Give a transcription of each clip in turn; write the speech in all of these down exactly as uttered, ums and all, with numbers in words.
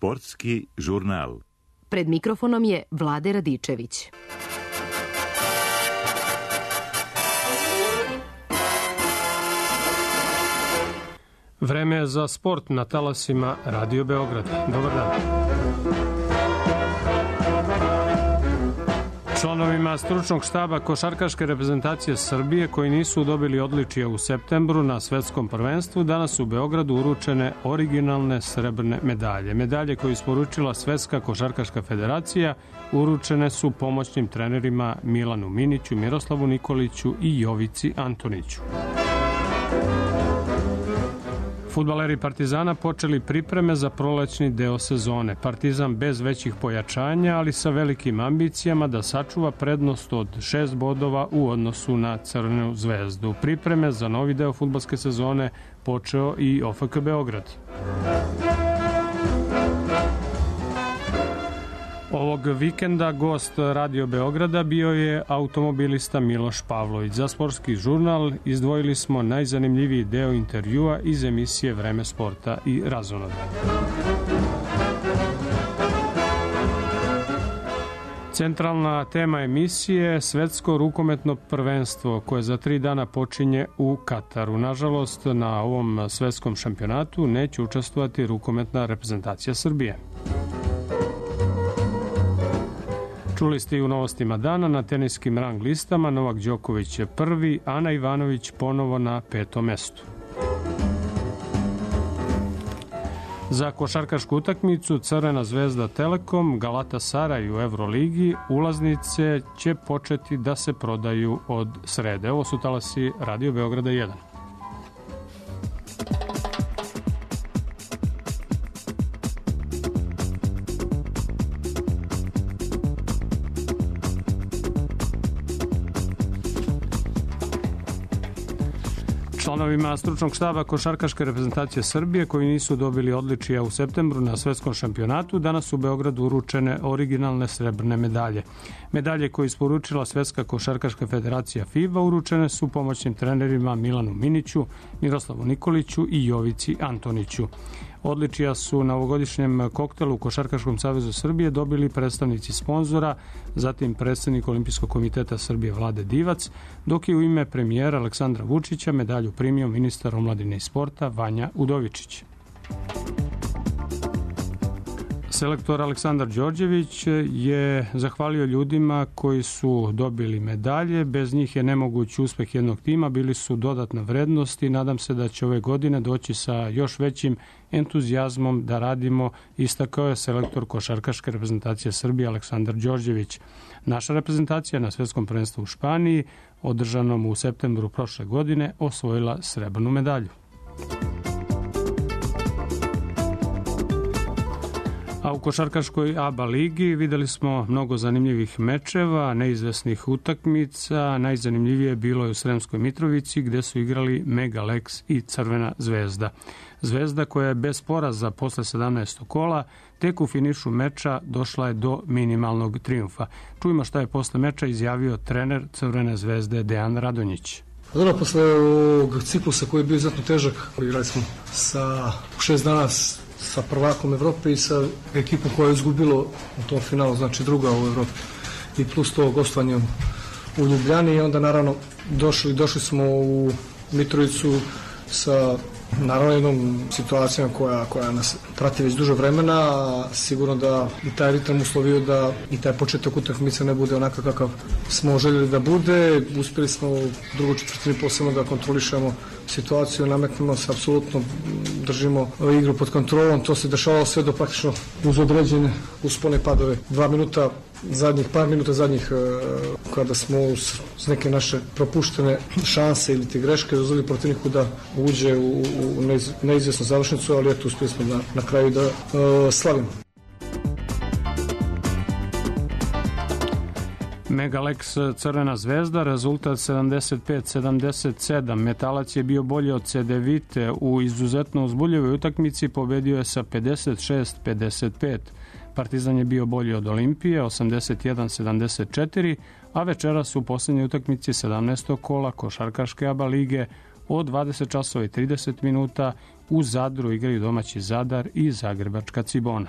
Sportski žurnal. Pred mikrofonom je Vlade Radičević. Vreme je za sport na talasima Radio Beograd. Dobar dan. Članovima stručnog štaba košarkaške reprezentacije Srbije koji nisu dobili odličije u septembru na svetskom prvenstvu danas u Beogradu uručene originalne srebrne medalje. Medalje koje isporučila Svetska košarkaška federacija uručene su pomoćnim trenerima Milanu Miniću, Miroslavu Nikoliću i Jovici Antoniću. Fudbaleri Partizana počeli pripreme za prolećni deo sezone. Partizan bez većih pojačanja, ali sa velikim ambicijama da sačuva prednost od šest bodova u odnosu na Crvenu zvezdu. Pripreme za novi deo fudbalske sezone počeo i O F K Beograd. Ovog vikenda gost Radio Beograda bio je automobilista Miloš Pavlović. Za Sportski žurnal izdvojili smo najzanimljiviji deo intervjua iz emisije Vreme sporta i razonoda. Centralna tema emisije je Svetsko rukometno prvenstvo koje za tri dana počinje u Kataru. Nažalost, na ovom svetskom šampionatu neće učestvovati rukometna reprezentacija Srbije. Čuli ste i u novostima dana na teniskim rang listama. Novak Đoković je prvi, Ana Ivanović ponovo na petom mestu. Za košarkašku utakmicu Crvena zvezda Telekom, Galatasaraj u Evroligi, ulaznice će početi da se prodaju od srede. Ovo su talasi Radio Beograda jedan. Članovima stručnog štaba košarkaške reprezentacije Srbije koji nisu dobili odličija u septembru na svetskom šampionatu danas u Beogradu uručene originalne srebrne medalje. Medalje koje isporučila Svetska košarkaška federacija FIBA uručene su pomoćnim trenerima Milanu Miniću, Miroslavu Nikoliću i Jovici Antoniću. Odličija su na ovogodišnjem koktelu u Košarkaškom savezu Srbije dobili predstavnici sponzora, zatim predsednik Olimpijskog komiteta Srbije Vlade Divac, dok je u ime premijera Aleksandra Vučića medalju primio ministar omladine i sporta Vanja Udovičić. Selektor Aleksandar Đorđević je zahvalio ljudima koji su dobili medalje. Bez njih je nemoguć uspeh jednog tima, bili su dodatna vrednost i nadam se da će ove godine doći sa još većim entuzijazmom da radimo, istakao je selektor košarkaške reprezentacije Srbije Aleksandar Đorđević. Naša reprezentacija na svetskom prvenstvu u Španiji, održanom u septembru prošle godine, osvojila srebrnu medalju. A u košarkaškoj A B A ligi videli smo mnogo zanimljivih mečeva, neizvesnih utakmica. Najzanimljivije bilo je u Sremskoj Mitrovici gde su igrali Mega Lex i Crvena zvezda. Zvezda koja je bez poraza posle sedamnaestog kola tek u finišu meča došla je do minimalnog trijumfa. Čujmo šta je posle meča izjavio trener Crvene zvezde Dejan Radonjić. Dobro, posle ovog ciklusa koji je bio izuzetno težak, igrali smo sa šest dana sa prvakom Evrope i sa ekipom koja je izgubilo u tom finalu, znači druga u Evropi, i plus to gostovanje u Ljubljani, i onda naravno došli, došli smo u Mitrovicu sa naravno jednom situacijom koja, koja nas prati već duže vremena, a sigurno da i taj ritam uslovio da i taj početak utakmice ne bude onakav kakav smo željeli da bude. Uspjeli smo u drugu četvrtini posebno da kontrolišemo situaciju, nametnemo se, apsolutno držimo igru pod kontrolom. To se dešavalo sve do praktično uz određene uspone padove. Dva minuta zadnjih, par minuta zadnjih kada smo uz neke naše propuštene šanse ili te greške dozvolili protivniku da uđe u, u neizvjesnu završnicu, ali eto uspjeli smo da, na kraju da uh, slavimo. Mega Lex Crvena zvezda, rezultat sedamdeset pet sedamdeset sedam. Metalac je bio bolji od Cedevite u izuzetno uzbuljivoj utakmici, pobedio je sa pedeset šest pedeset pet. Partizan je bio bolji od Olimpije, osamdeset jedan sedamdeset četiri, a večeras u posljednjoj utakmici sedamnaestog kola košarkaške A B A lige od dvadeset časova i trideset minuta. U Zadru igraju domaći Zadar i Zagrebačka Cibona.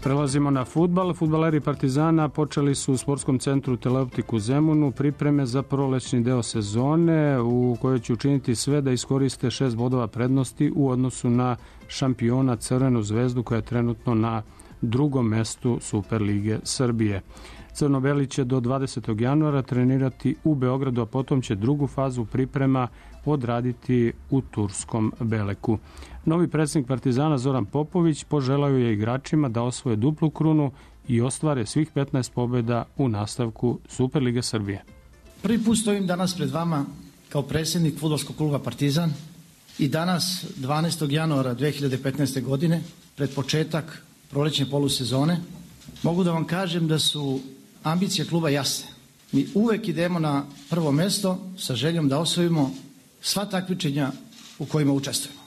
Prelazimo na fudbal. Fudbaleri Partizana počeli su u sportskom centru Teleoptik u Zemunu pripreme za prolećni deo sezone u kojoj će učiniti sve da iskoriste šest bodova prednosti u odnosu na šampiona Crvenu zvezdu koja je trenutno na drugom mestu Superlige Srbije. Crno-beli će do dvadesetog januara trenirati u Beogradu, a potom će drugu fazu priprema odraditi u turskom Beleku. Novi predsjednik Partizana Zoran Popović poželao je igračima da osvoje duplu krunu i ostvare svih petnaest pobjeda u nastavku Superlige Srbije. Prvi put stojim danas pred vama kao predsjednik fudbalskog kluba Partizan i danas dvanaestog januara dve hiljade petnaeste. godine pred početak prolećne polusezone mogu da vam kažem da su ambicije kluba jasne. Mi uvek idemo na prvo mesto sa željom da osvojimo sva takmičenja u kojima učestvujemo.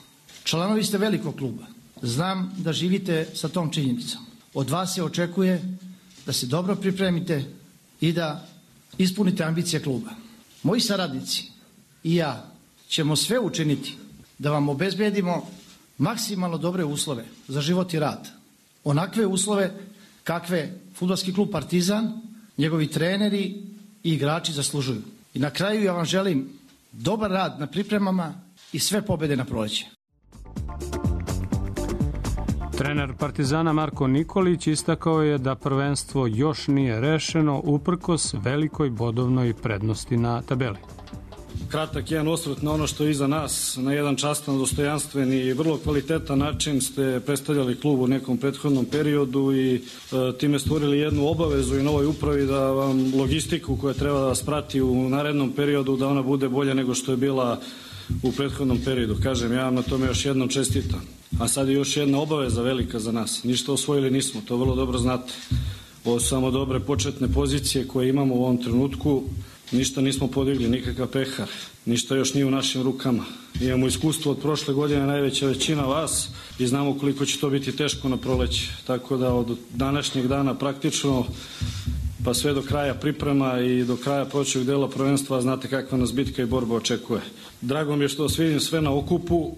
Članovi ste velikog kluba. Znam da živite sa tom činjenicom. Od vas se očekuje da se dobro pripremite i da ispunite ambicije kluba. Moji saradnici i ja ćemo sve učiniti da vam obezbedimo maksimalno dobre uslove za život i rad. Onakve uslove kakve fudbalski klub Partizan, njegovi treneri i igrači zaslužuju. I na kraju ja vam želim dobar rad na pripremama i sve pobjede na proleće. Trener Partizana Marko Nikolić istakao je da prvenstvo još nije rešeno uprkos velikoj bodovnoj prednosti na tabeli. Kratak jedan osvrt na ono što je iza nas, na jedan častan, dostojanstven i vrlo kvalitetan način ste predstavljali klub u nekom prethodnom periodu i e, time stvorili jednu obavezu i novoj upravi da vam logistiku koja treba da vas prati u narednom periodu, da ona bude bolja nego što je bila u prethodnom periodu. Kažem, ja vam na tome još jednom čestitam. A sad je još jedna obaveza velika za nas. Ništa osvojili nismo, to vrlo dobro znate. Ovo su samo dobre početne pozicije koje imamo u ovom trenutku. Ništa nismo podigli, nikakav pehar, ništa još nije u našim rukama. Imamo iskustvo od prošle godine, najveća većina vas, i znamo koliko će to biti teško na proleće. Tako da od današnjeg dana praktično pa sve do kraja priprema i do kraja prolećnog dela prvenstva znate kakva nas bitka i borba očekuje. Drago mi je što vas vidim sve na okupu,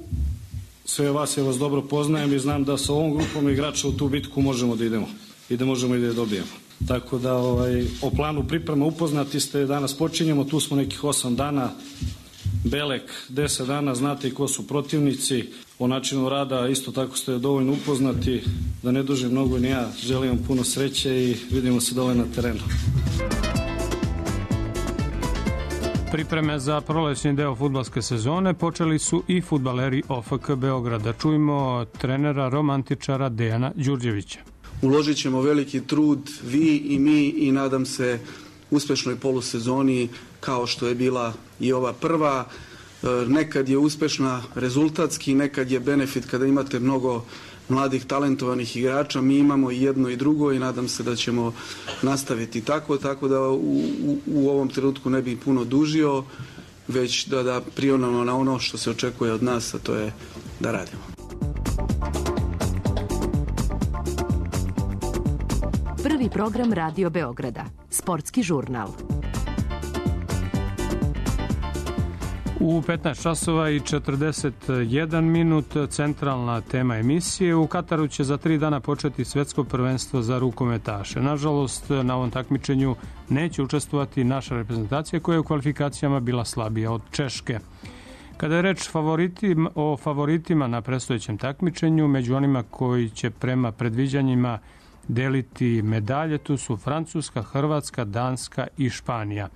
sve vas ja vas dobro poznajem i znam da sa ovom grupom igrača u tu bitku možemo da idemo i da možemo i da je dobijemo. Tako da ovaj, o planu priprema upoznati ste, danas počinjemo, tu smo nekih osam dana, Belek deset dana, znate i ko su protivnici, o načinu rada isto tako ste dovoljno upoznati, da ne dužim mnogo ni ja, želim vam puno sreće i vidimo se dole na terenu. Pripreme za prolećni deo fudbalske sezone počeli su i fudbaleri O F K Beograda. Čujmo trenera romantičara Dejana Đurđevića. Uložit ćemo veliki trud, vi i mi, i nadam se uspešnoj polusezoni kao što je bila i ova prva. Nekad je uspešna rezultatski, nekad je benefit kada imate mnogo mladih talentovanih igrača. Mi imamo i jedno i drugo i nadam se da ćemo nastaviti tako, tako da u, u, u ovom trenutku ne bih puno dužio, već da, da prionemo na ono što se očekuje od nas, a to je da radimo. Prvi program Radio Beograda, sportski žurnal. U petnaest časova i četrdeset jedan minut centralna tema emisije. U Kataru će za tri dana početi svetsko prvenstvo za rukometaše. Nažalost, na ovom takmičenju neće učestvovati naša reprezentacija koja je u kvalifikacijama bila slabija od Češke. Kada je reč favoritima, o favoritima na predstojećem takmičenju, među onima koji će prema predviđanjima deliti medalje, tu su Francuska, Hrvatska, Danska i Španija.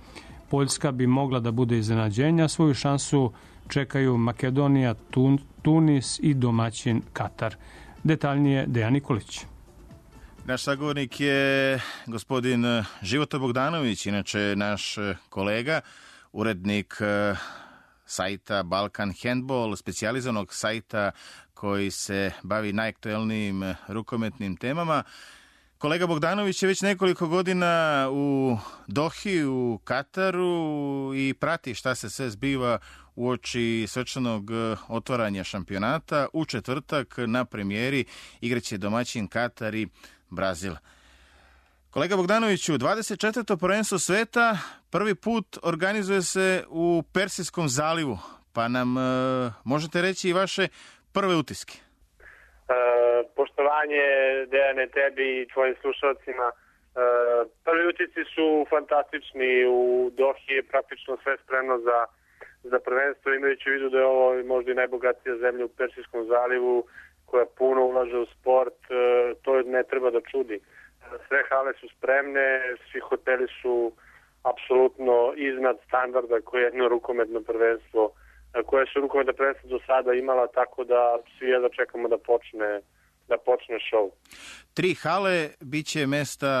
Poljska bi mogla da bude iznenađenja, svoju šansu čekaju Makedonija, Tun, Tunis i domaćin Katar. Detaljnije Dejan Nikolić. Naš sagovornik je gospodin Života Bogdanović, inače naš kolega, urednik sajta Balkan Handball, specijalizovanog sajta koji se bavi najaktuelnijim rukometnim temama. Kolega Bogdanović je već nekoliko godina u Dohi, u Kataru i prati šta se sve zbiva uoči svečanog otvaranja šampionata. U četvrtak na premijeri igraće domaćin Katar i Brazil. Kolega Bogdanoviću, dvadeset četvrto prvenstvo sveta prvi put organizuje se u Persijskom zalivu, pa nam e, možete reći i vaše prve utiske. E, poštovanje, Dejane, tebi i tvojim slušalcima. E, prvi utisci su fantastični. U Dohi je praktično sve spremno za, za prvenstvo, imajući u vidu da je ovo možda i najbogatija zemlja u Persijskom zalivu, koja puno ulaže u sport. E, to ne treba da čudi. Sve hale su spremne, svi hoteli su apsolutno iznad standarda koje je jedno rukometno prvenstvo, koje su rukometno prvenstvo do sada imala, tako da svi jedva čekamo da počne, da počne show. Tri hale bit će mesta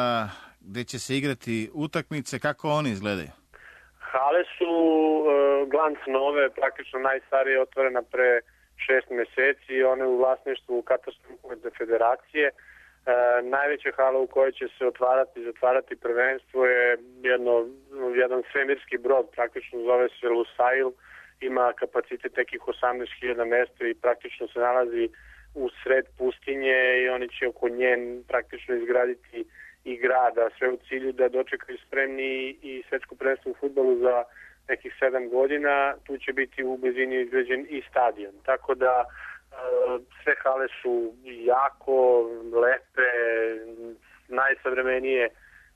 gde će se igrati utakmice, kako oni izgledaju? Hale su uh, glanc nove, praktično najstarije, otvorena pre šest meseci i one u vlasništvu Katarske rukometne federacije. E, najveća hala u kojoj će se otvarati i zatvarati prvenstvo je jedno, jedan svemirski brod, praktično zove se Lusail, ima kapacitet nekih osamnaest hiljada mesta i praktično se nalazi u sred pustinje i oni će oko nje praktično izgraditi i grada, sve u cilju da dočekaju spremni i svetsko prvenstvo u fudbalu za nekih sedam godina. Tu će biti u blizini izgrađen i stadion, tako da sve hale su jako lepe, najsavremenije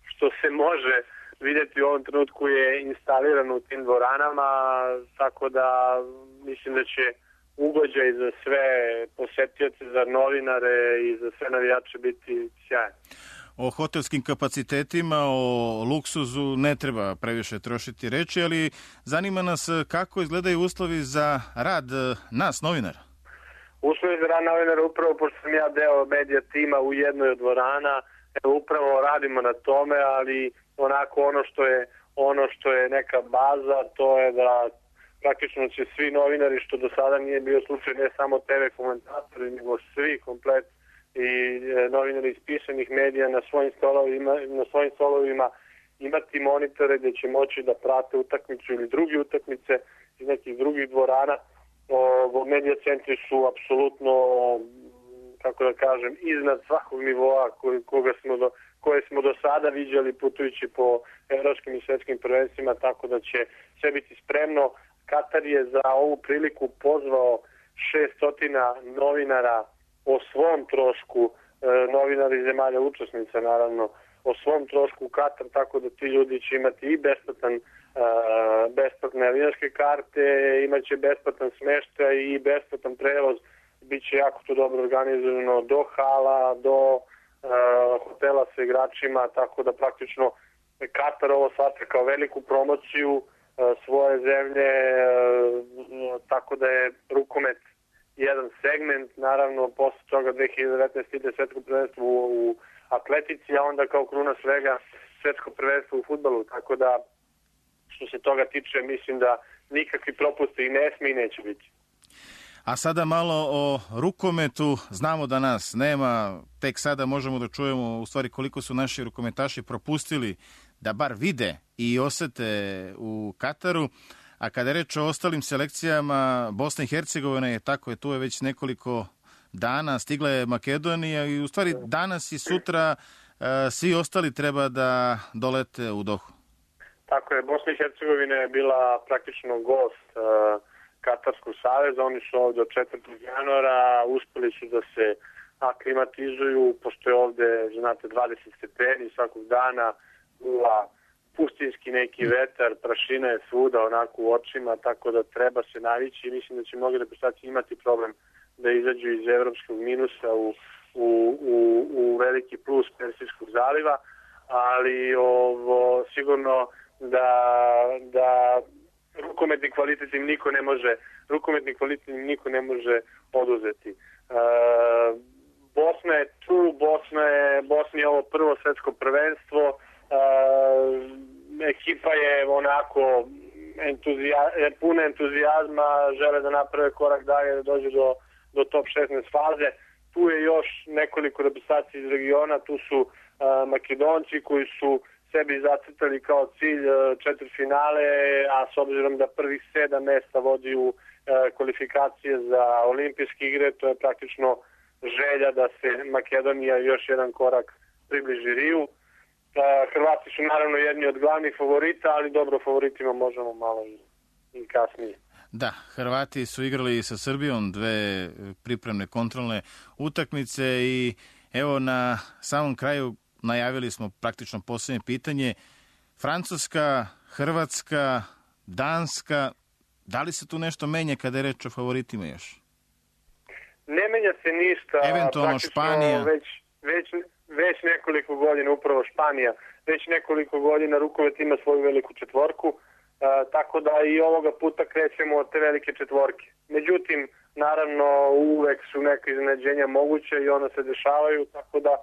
što se može vidjeti u ovom trenutku je instalirano u tim dvoranama, tako da mislim da će ugođaj za sve posetioce, za novinare i za sve navijače biti sjajan. O hotelskim kapacitetima, o luksuzu ne treba previše trošiti reči, ali zanima nas kako izgledaju uslovi za rad nas, novinara. Uslovi za rad novinara, upravo pošto sam ja deo medija tima u jednoj od dvorana, upravo radimo na tome, ali onako ono što je ono što je neka baza, to je da praktično će svi novinari, što do sada nije bio slučaj, ne samo te ve komentatori, nego svi komplet i novinari iz pisanih medija na svojim stolovima, na svojim stolovima imati monitore gdje će moći da prate utakmicu ili druge utakmice iz nekih drugih dvorana. O, medija centri su apsolutno, kako da kažem, iznad svakog nivoa koji, koga smo do, koje smo do sada viđali putujući po evropskim i svetskim prvenstvima, tako da će sve biti spremno. Katar je za ovu priliku pozvao šesnaest novinara o svom trošku, e, novinari zemalja učesnica naravno, o svom trošku u Katar, tako da ti ljudi će imati i besplatan Uh, besplatne avionske karte, imaće besplatan smeštaj i besplatan prevoz, bit će jako to dobro organizovano do hala, do uh, hotela sa igračima, tako da praktično Katar ovo shvata kao veliku promociju uh, svoje zemlje, uh, tako da je rukomet jedan segment, naravno posle toga dve hiljade devetnaeste. ide svetsko prvenstvo u, u atletici, a onda kao kruna svega svetsko prvenstvo u fudbalu, tako da što se toga tiče, mislim da nikakvi propusti i ne smije i neće biti. A sada malo o rukometu. Znamo da nas nema, tek sada možemo da čujemo u stvari koliko su naši rukometaši propustili da bar vide i osete u Kataru. A kada je reč o ostalim selekcijama, Bosna i Hercegovina je tako, je tu je već nekoliko dana, stigla je Makedonija i u stvari danas i sutra svi ostali treba da dolete u Dohu. Tako je, Bosna i Hercegovina je bila praktično gost uh, Katarskog saveza, oni su ovdje od četvrtog januara, uspeli su da se aklimatizuju, pošto je ovdje, znate, dvadeset stepeni svakog dana, ula pustinski neki vetar, prašina je svuda onako u očima, tako da treba se navići i mislim da će mnogi reprezentacije imati problem da izađu iz evropskog minusa u, u, u, u veliki plus Persijskog zaliva, ali ovo sigurno da, da rukometni kvalitet im niko ne može rukometni kvalitet im niko ne može oduzeti. E, Bosna je tu, Bosna je, Bosna je ovo prvo svetsko prvenstvo, e, ekipa je onako entuzija, puna entuzijazma, žele da naprave korak dalje, da dođe do, do top šesnaest faze. Tu je još nekoliko reprezentacija iz regiona, tu su a, Makedonci koji su sebi zacrtali kao cilj četvrtfinale, a s obzirom da prvih sedam mesta vodi u a, kvalifikacije za olimpijske igre, to je praktično želja da se Makedonija još jedan korak približi Riju. Hrvati su naravno jedni od glavnih favorita, ali dobro, favoritima možemo malo i, i kasnije. Da, Hrvati su igrali sa Srbijom dve pripremne kontrolne utakmice i evo na samom kraju najavili smo praktično posljednje pitanje. Francuska, Hrvatska, Danska, da li se tu nešto menja kada je reč o favoritima još? Ne menja se ništa. Eventualno Španija. Već, već, već nekoliko godina, upravo Španija, već nekoliko godina rukomet ima svoju veliku četvorku, a, tako da i ovoga puta krećemo od te velike četvorke. Međutim, naravno, uvek su neke iznenađenja moguće i ona se dešavaju, tako da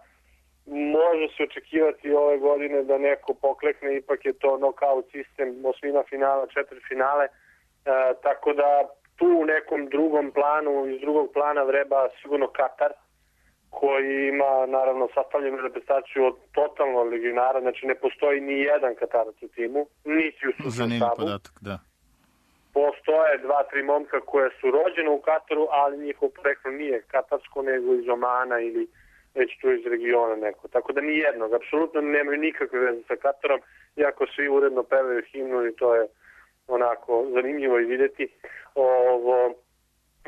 može se očekivati ove godine da neko poklekne, ipak je to nokaut sistem, osmina finala, četiri finale, e, tako da tu u nekom drugom planu, iz drugog plana vreba sigurno Katar, koji ima naravno sastavljenu reprezentaciju od totalno legionara, znači ne postoji ni jedan Katarac u timu, niti u stručnom štabu. Podatak, da. Postoje dva, tri momka koje su rođene u Kataru, ali njihov poreklo nije katarsko, nego iz Omana ili već tu iz regiona neko. Tako da ni jednog, apsolutno nemaju nikakve veze sa Katarom, iako svi uredno pevaju himnu i to je onako zanimljivo i vidjeti. Ovo,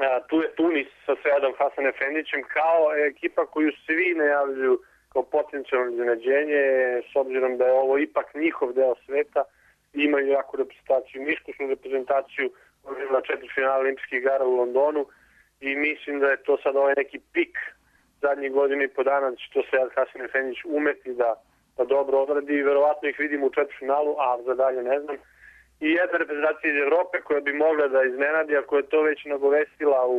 a, tu je Tunis sa Seadom Hasan Efendićem kao ekipa koju svi najavljuju kao potencijalno iznenađenje, s obzirom da je ovo ipak njihov deo sveta, imaju jaku reprezentaciju, iskusnu reprezentaciju, na četiri finala olimpijskih igara u Londonu i mislim da je to sad ovaj neki pik zadnjih godina i po dana da će to Sead Hasan Efendić umeti da, da dobro odradi i verovatno ih vidimo u četvrtfinalu, a za dalje ne znam. I jedna reprezentacija iz Evrope koja bi mogla da iznenadi, a koja je to već nagovestila u,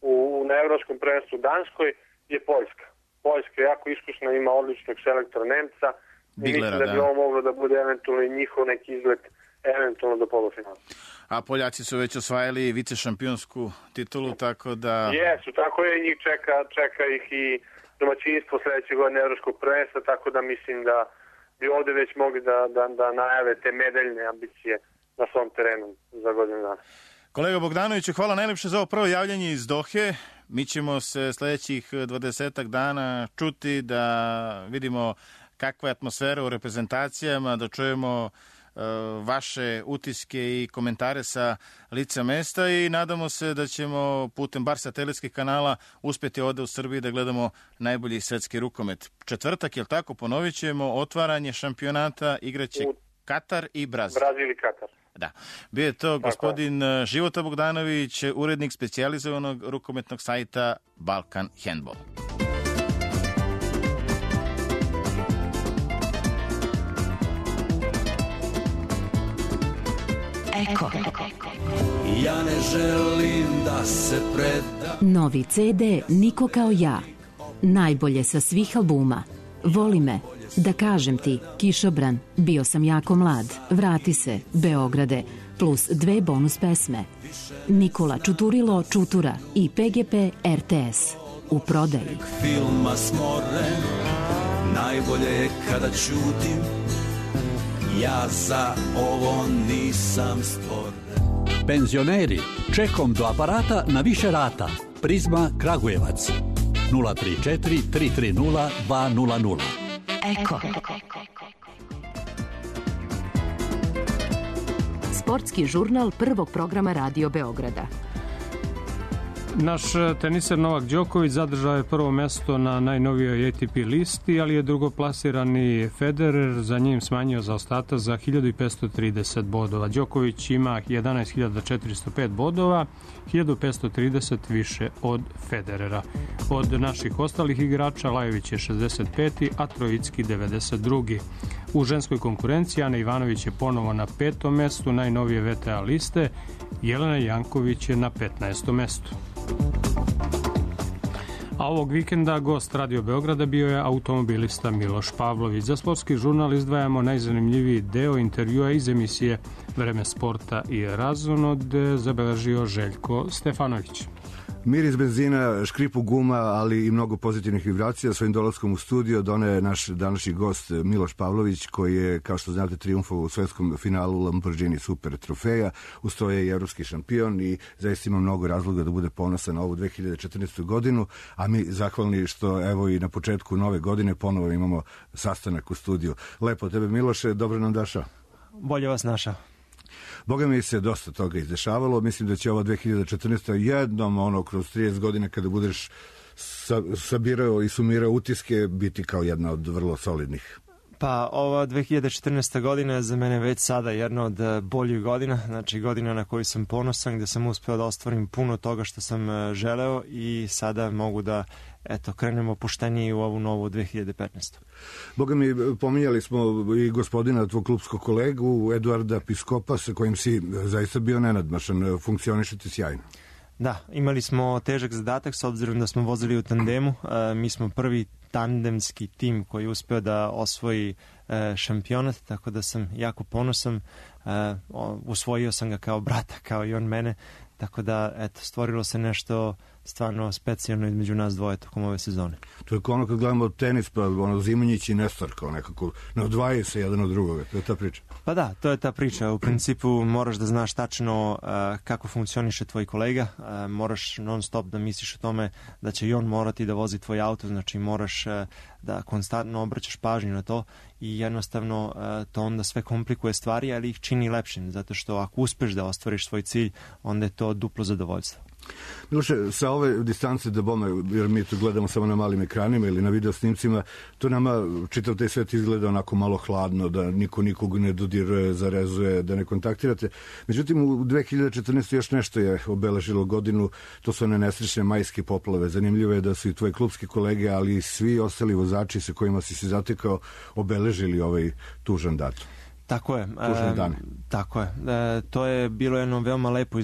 u, na evropskom prvenstvu Danskoj, je Poljska. Poljska je jako iskusna, ima odličnog selektora Nemca i Biglera, mislim da bi da. ovo moglo da bude eventualno i njihov neki izlet eventualno do polufinala. A Poljaci su već osvajali vice šampionsku titulu, tako da... Jesu, tako je, njih čeka, čeka ih i domaćinstvo sledeće godine evropskog prvenstva, tako da mislim da bi ovde već mogli da, da, da najave te medaljne ambicije na svom terenu za godinu dana. Kolega Bogdanoviću, hvala najlepše za ovo prvo javljanje iz Dohe. Mi ćemo se sledećih dvadesetak dana čuti da vidimo kakva je atmosfera u reprezentacijama, da čujemo vaše utiske i komentare sa lica mesta i nadamo se da ćemo putem bar satelitskih kanala uspjeti ovde u Srbiji da gledamo najbolji svetski rukomet. Četvrtak, jel tako, ponovit ćemo otvaranje šampionata, igraće Katar i Brazil. Brazil i Katar. Da. Bio je to gospodin Života Bogdanović, urednik specijalizovanog rukometnog sajta Balkan Handball. Eko. Ja ne želim da se predam. Novi ce de Niko kao ja. Najbolje sa svih albuma. Voli me. Da kažem ti, Kišobran, bio sam jako mlad, vrati se, Beograde, plus dve bonus pesme. Nikola Čuturilo Čutura i pe ge pe er te es. U prodaji. Filma smoren, najbolje je kada ćutim, ja za ovo nisam stvoren. Penzioneri, čekom do aparata na više rata. Prizma Kragujevac. nula tri četiri tri tri nula dva nula nula. Eko. Sportski žurnal prvog programa Radio Beograda. Naš teniser Novak Đoković zadržao je prvo mesto na najnovijoj A T P listi, ali je drugoplasirani Federer za njim smanjio zaostatak za hiljadu petsto trideset bodova. Đoković ima jedanaest hiljada četiristo pet bodova, hiljadu petsto trideset više od Federera. Od naših ostalih igrača Lajović je šezdeset peti, a Trojicki devedeset drugi. U ženskoj konkurenciji Ana Ivanović je ponovo na petom mestu najnovije V T A liste, Jelena Janković je na petnaestom mestu. A ovog vikenda gost Radio Beograda bio je automobilista Miloš Pavlović. Za sportski žurnal izdvajamo najzanimljiviji deo intervjua iz emisije Vreme sporta i razonode zabeležio Željko Stefanović. Miris benzina, škripu guma, ali i mnogo pozitivnih vibracija. Svojim dolaskom u studio doneo je naš današnji gost Miloš Pavlović, koji je, kao što znate, triumfovao u svetskom finalu Lamborghini Super trofeja. Uz to je i evropski šampion i zaista ima mnogo razloga da bude ponosan na ovu dve hiljade četrnaestu. godinu, a mi zahvalni što evo i na početku nove godine ponovo imamo sastanak u studiju. Lepo tebe, Miloše, dobro nam došao. Bolje vas našao. Boga mi se dosta toga izdešavalo. Mislim da će ova dve hiljade četrnaesta. jednom ono kroz trideset godina kada budeš sa, sabirao i sumirao utiske biti kao jedna od vrlo solidnih. Pa ova dve hiljade četrnaesta. godina je za mene već sada jedna od boljih godina, znači godina na koju sam ponosan, gde sam uspeo da ostvarim puno toga što sam želeo i sada mogu da eto, krenemo opuštenije u ovu novu dve hiljade petnaestu. Boga mi, pominjali smo i gospodina, tvog klubskog kolegu, Eduarda Piskopa, sa kojim si zaista bio nenadmašan, funkcionišete sjajno. Da, imali smo težak zadatak s obzirom da smo vozili u tandemu. E, mi smo prvi tandemski tim koji je uspeo da osvoji e, šampionat, tako da sam jako ponosan. E, usvojio sam ga kao brata, kao i on mene, tako da eto, stvorilo se nešto stvarno specijalno između nas dvoje tokom ove sezone. To je kao ono kad gledamo tenis, pa ono Zimonjić i Nestor, kao nekako ne odvajaju se jedan od drugoga, to je ta priča. Pa da, to je ta priča. U principu moraš da znaš tačno uh, kako funkcioniše tvoj kolega, uh, moraš non stop da misliš o tome da će i on morati da vozi tvoj auto, znači moraš uh, da konstantno obraćaš pažnju na to i jednostavno uh, to onda sve komplikuje stvari, ali ih čini lepšim, zato što ako uspeš da ostvariš svoj cilj, onda je to duplo zadovoljstvo. Miloše, sa ove distance da bome, jer mi to gledamo samo na malim ekranima ili na video snimcima, to nama čitav taj svet izgleda onako malo hladno, da niko nikog ne dodiruje, zarezuje, da ne kontaktirate. Međutim, u dve hiljade četrnaestoj. još nešto je obeležilo godinu, to su one nesrećne majske poplave. Zanimljivo je da su i tvoji klubski kolege, ali i svi ostali vozači sa kojima si se zatekao obeležili ovaj tužan datum. Tako je. E, tako je. E, to je bilo jedno veoma lepo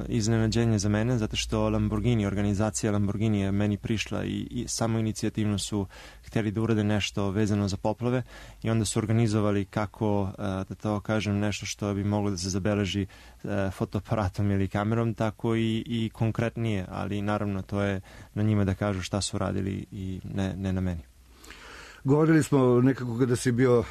iznenađenje za mene, zato što Lamborghini, organizacija Lamborghini je meni prišla i, i samo inicijativno su hteli da urade nešto vezano za poplave i onda su organizovali kako, e, da to kažem, nešto što bi moglo da se zabeleži e, fotoaparatom ili kamerom, tako i, i konkretnije, ali naravno to je na njima da kažu šta su radili i ne, ne na meni. Govorili smo nekako kada si bio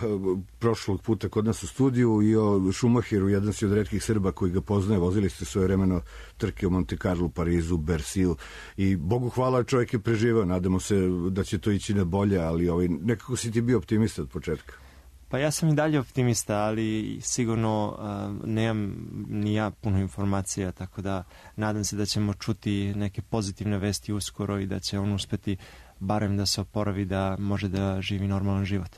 prošlog puta kod nas u studiju i o Schumacheru, jedan si od retkih Srba koji ga poznaje, vozili ste svoje vremeno trke u Monte Carlo, Parizu, Bersiju i Bogu hvala čovjek je preživao, nadamo se da će to ići na bolje, ali ovaj, nekako si ti bio optimista od početka. Pa ja sam i dalje optimista, ali sigurno uh, nemam ni ja puno informacija, tako da nadam se da ćemo čuti neke pozitivne vesti uskoro i da će on uspeti barem da se oporavi, da može da živi normalan život.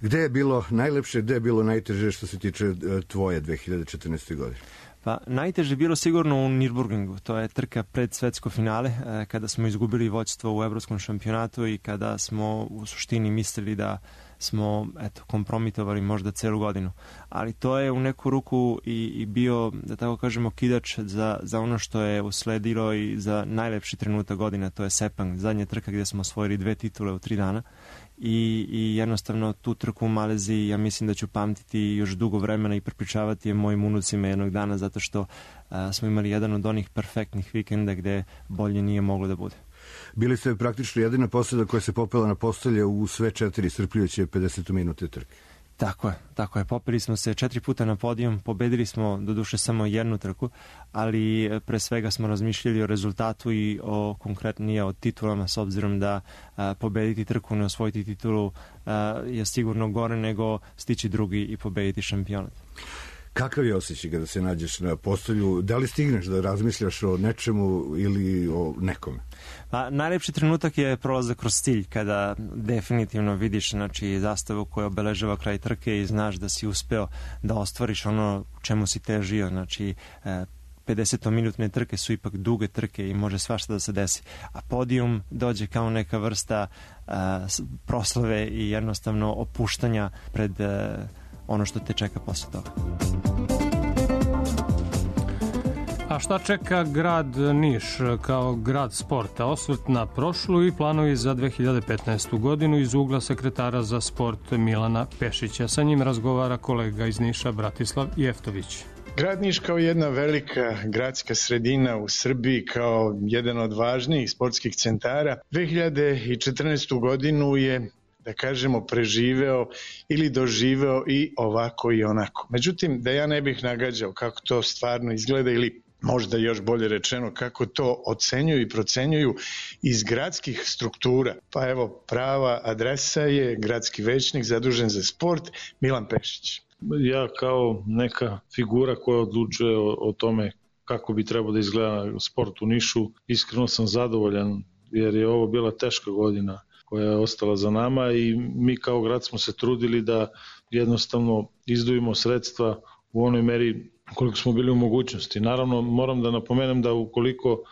Gde je bilo najlepše, gde je bilo najteže što se tiče tvoje dve hiljade četrnaeste. godine? Pa najteže je bilo sigurno u Nürburgringu. To je trka pred svetsko finale, kada smo izgubili vođstvo u evropskom šampionatu i kada smo u suštini mislili da smo eto, kompromitovali možda celu godinu. Ali to je u neku ruku i, i bio, da tako kažemo, kidač za, za ono što je usledilo i za najlepši trenutak godina, to je Sepang, zadnja trka gdje smo osvojili dve titule u tri dana. I, i jednostavno tu trku u Maleziji ja mislim da ću pamtiti još dugo vremena i prepričavati je mojim unucima jednog dana, zato što a, smo imali jedan od onih perfektnih vikenda gde bolje nije moglo da bude. Bili ste praktično jedina posada koja se popela na postolje u sve četiri iscrpljujuće pedeset minute trke. Tako je, tako je. Popeli smo se četiri puta na podijum, pobedili smo doduše samo jednu trku, ali pre svega smo razmišljali o rezultatu i o konkretnije o titulama, s obzirom da a, pobediti trku, ne osvojiti titulu a, je sigurno gore nego stići drugi i pobediti šampionat. Kakav je osjećaj kada se nađeš na postolju? Da li stigneš da razmišljaš o nečemu ili o nekome? Pa, najlepši trenutak je prolazak kroz cilj, kada definitivno vidiš znači, zastavu koja obeležava kraj trke i znaš da si uspeo da ostvariš ono čemu si težio. Znači, pedesetminutne trke su ipak duge trke i može svašta da se desi. A podijum dođe kao neka vrsta a, proslave i jednostavno opuštanja pred a, ono što te čeka posle toga. A šta čeka grad Niš kao grad sporta? Osvrt na prošlu i planovi za dve hiljade petnaestu. godinu iz ugla sekretara za sport Milana Pešića. Sa njim razgovara kolega iz Niša Bratislav Jeftović. Grad Niš kao jedna velika gradska sredina u Srbiji, kao jedan od važnijih sportskih centara, dve hiljade četrnaestu godinu je, da kažemo, preživeo ili doživeo i ovako i onako. Međutim, da ja ne bih nagađao kako to stvarno izgleda ili možda još bolje rečeno kako to ocenjuju i procenjuju iz gradskih struktura. Pa evo, prava adresa je gradski većnik zadužen za sport Milan Pešić. Ja kao neka figura koja odlučuje o, o tome kako bi trebao da izgleda sport u Nišu, iskreno sam zadovoljan jer je ovo bila teška godina koja je ostala za nama i mi kao grad smo se trudili da jednostavno izdvojimo sredstva u onoj meri koliko smo bili u mogućnosti. Naravno, moram da napomenem da ukoliko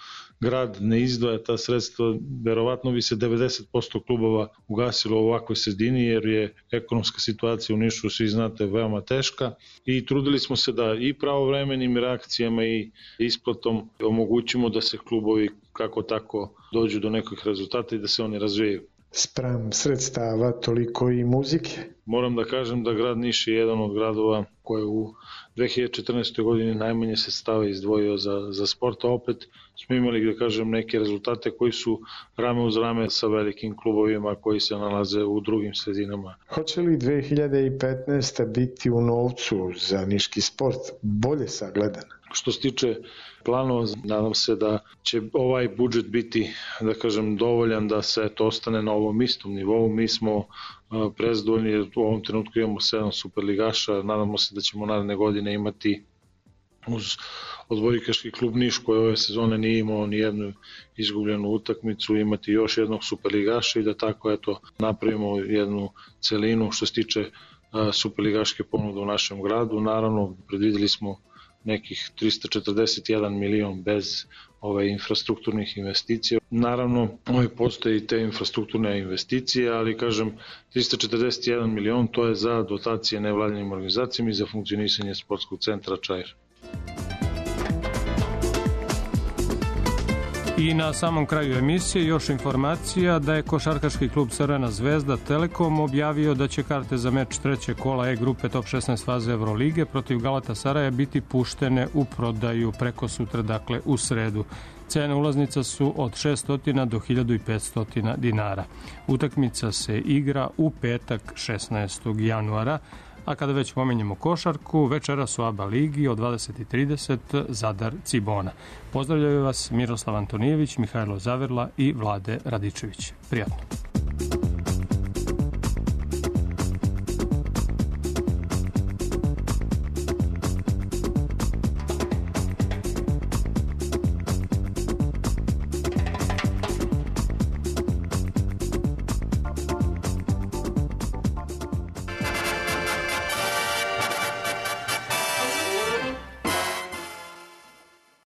grad ne izdvaja ta sredstva, verovatno bi se devedeset posto klubova ugasilo u ovakvoj sredini, jer je ekonomska situacija u Nišu, svi znate, veoma teška i trudili smo se da i pravovremenim reakcijama i isplatom omogućimo da se klubovi kako tako dođu do nekih rezultata i da se oni razvijaju. Spram sredstava toliko i muzike. Moram da kažem da grad Niš je jedan od gradova koje u dve hiljade četrnaestoj godini najmanje sredstava izdvojio za, za sport, a opet smo imali, da kažem, neke rezultate koji su rame uz rame sa velikim klubovima koji se nalaze u drugim sredinama. Hoće li dve hiljade petnaesta biti u novcu za niški sport bolje sagledan? Što se tiče planova, nadam se da će ovaj budžet biti, da kažem, dovoljan da se to ostane na ovom istom nivou. Mi smo prezadovoljni jer u ovom trenutku imamo sedam superligaša, nadamo se da ćemo naredne godine imati uz odbojkaški klub Niš koji ove sezone nije imao ni jednu izgubljenu utakmicu, imati još jednog superligaša i da tako eto napravimo jednu celinu što se tiče superligaške ponude u našem gradu. Naravno, predvideli smo nekih trista četrdeset jedan milion bez ove infrastrukturnih investicija. Naravno, ove postoje i te infrastrukturne investicije, ali kažem, trista četrdeset jedan milion to je za dotacije nevladinim organizacijama i za funkcionisanje sportskog centra Čair. I na samom kraju emisije još informacija da je košarkaški klub Crvena zvezda Telekom objavio da će karte za meč trećeg kola E grupe top šesnaest faze Evrolige protiv Galatasaraja biti puštene u prodaju preko sutra, dakle u sredu. Cene ulaznica su od šesto do hiljadu petsto dinara. Utakmica se igra u petak šesnaestog januara. A kada već pomenjemo košarku, večeras u ABA ligi od dvadeset i trideset Zadar Cibona. Pozdravljaju vas Miroslav Antonijević, Mihajlo Zaverla i Vlade Radičević. Prijatno.